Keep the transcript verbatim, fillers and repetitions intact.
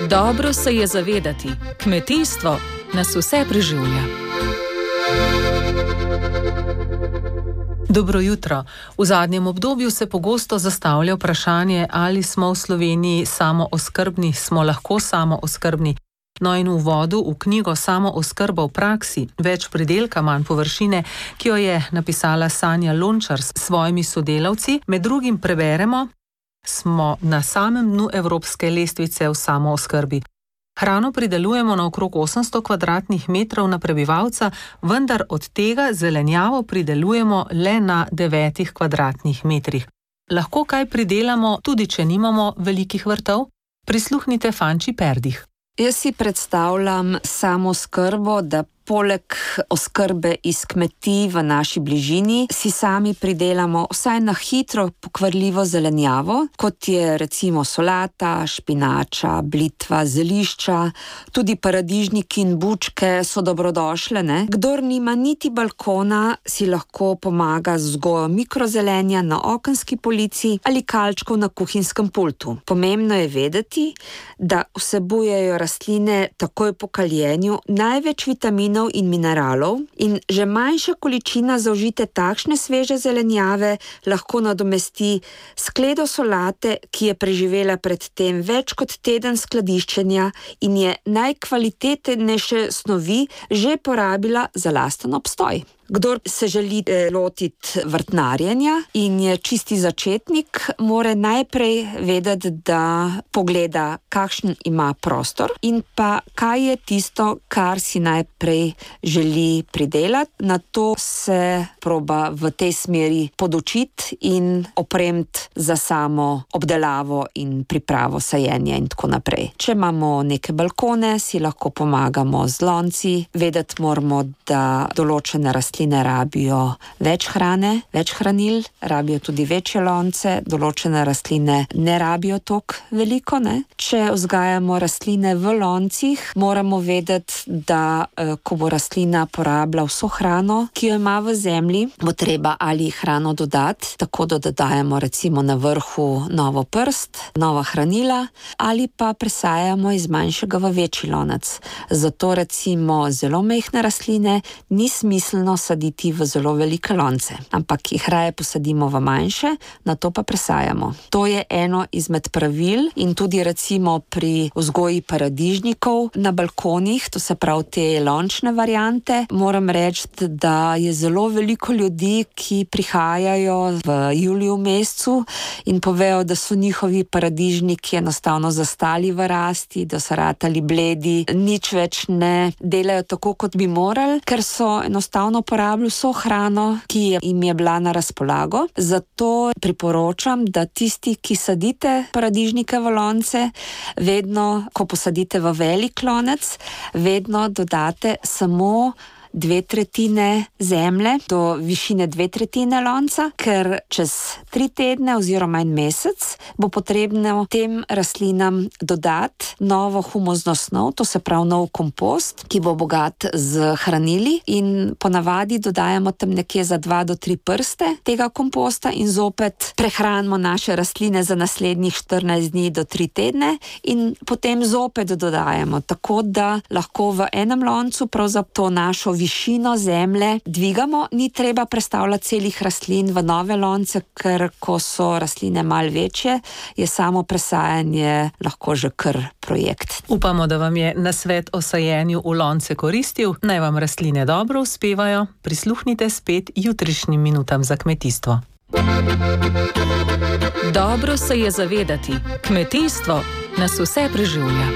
Dobro se je zavedati, kmetijstvo nas vse preživlja. Dobro jutro. V zadnjem obdobju se pogosto zastavlja vprašanje, ali smo v Sloveniji samooskrbni, smo lahko samooskrbni. No in v uvodu v knjigo Samooskrba v praksi, več pridelka, manj površine, ki jo je napisala Sanja Lončar s svojimi sodelavci, med drugim preberemo: smo na samem dnu evropske lestvice v samooskrbi. Hrano pridelujemo na okrog osemsto kvadratnih metrov na prebivalca, vendar od tega zelenjavo pridelujemo le na devetih kvadratnih metrih. Lahko kaj pridelamo, tudi če nimamo velikih vrtov? Prisluhnite Fanči Perdih. Jaz si predstavljam samooskrbo, da poleg oskrbe iz kmetij v naši bližini si sami pridelamo vsaj na hitro pokvarljivo zelenjavo, kot je recimo solata, špinača, blitva, zelišča, tudi paradižniki in bučke so dobrodošle, ne? Kdor nima niti balkona, si lahko pomaga z vzgojo mikrozelenja na okenski polici ali kalčkov na kuhinjskem pultu. Pomembno je vedeti, da vsebujejo rastline takoj po kaljenju največ vitaminov in mineralov in že manjša količina zaužite takšne sveže zelenjave lahko nadomesti skledo solate, ki je preživela pred tem več kot teden skladiščenja in je najkvalitetnejše snovi že porabila za lasten obstoj. Kdor se želi lotiti vrtnarjenja in je čisti začetnik, mora najprej vedeti, da pogleda, kakšen ima prostor in pa kaj je tisto, kar si najprej želi pridelati. Na to se proba v tej smeri podučiti in opremiti za samo obdelavo in pripravo sajenja in tako naprej. Če imamo neke balkone, si lahko pomagamo z lonci. Vedeti moramo, da določene rastline Rastline rabijo več hrane, več hranil, rabijo tudi večje lonce, določene rastline ne rabijo toliko veliko, ne? Če vzgajamo rastline v loncih, moramo vedeti, da ko bo rastlina porabila vso hrano, ki jo ima v zemlji, bo treba ali hrano dodati, tako da dodajamo recimo na vrhu novo prst, nova hranila, ali pa presajamo iz manjšega v večji lonec. Zato recimo zelo majhne rastline ni smiselno saditi v zelo velike lonce, ampak jih raje posadimo v manjše, nato pa presajamo. To je eno izmed pravil in tudi recimo pri vzgoji paradižnikov na balkonih, to se pravi te lončne variante, moram reči, da je zelo veliko ljudi, ki prihajajo v juliju mesecu in povejo, da so njihovi paradižniki enostavno zastali v rasti, da so ratali bledi, nič več ne delajo tako, kot bi morali, ker so enostavno porabili vso hrano, ki jim je bila na razpolago. Zato priporočam, da tisti, ki sadite paradižnike v lonce, vedno, ko posadite v velik lonec, vedno dodate samo dve tretjine zemlje do višine dve tretjine lonca, ker čez tri tedne oziroma en mesec bo potrebno tem rastlinam dodati novo humozno snov, to se pravi nov kompost, ki bo bogat z hranili in ponavadi dodajamo tam nekje za dva do tri prste tega komposta in zopet prehranimo naše rastline za naslednjih štirinajst dni do tri tedne in potem zopet dodajamo, tako da lahko v enem loncu pravzaprav to našo višino zemlje dvigamo, ni treba prestavljati celih rastlin v nove lonce, ker ko so rastline malo večje, je samo presajanje lahko že kar projekt. Upamo, da vam je nasvet o sajenju v lonce koristil, naj vam rastline dobro uspevajo, prisluhnite spet jutrišnjim minutam za kmetijstvo. Dobro se je zavedati, kmetijstvo nas vse preživlja.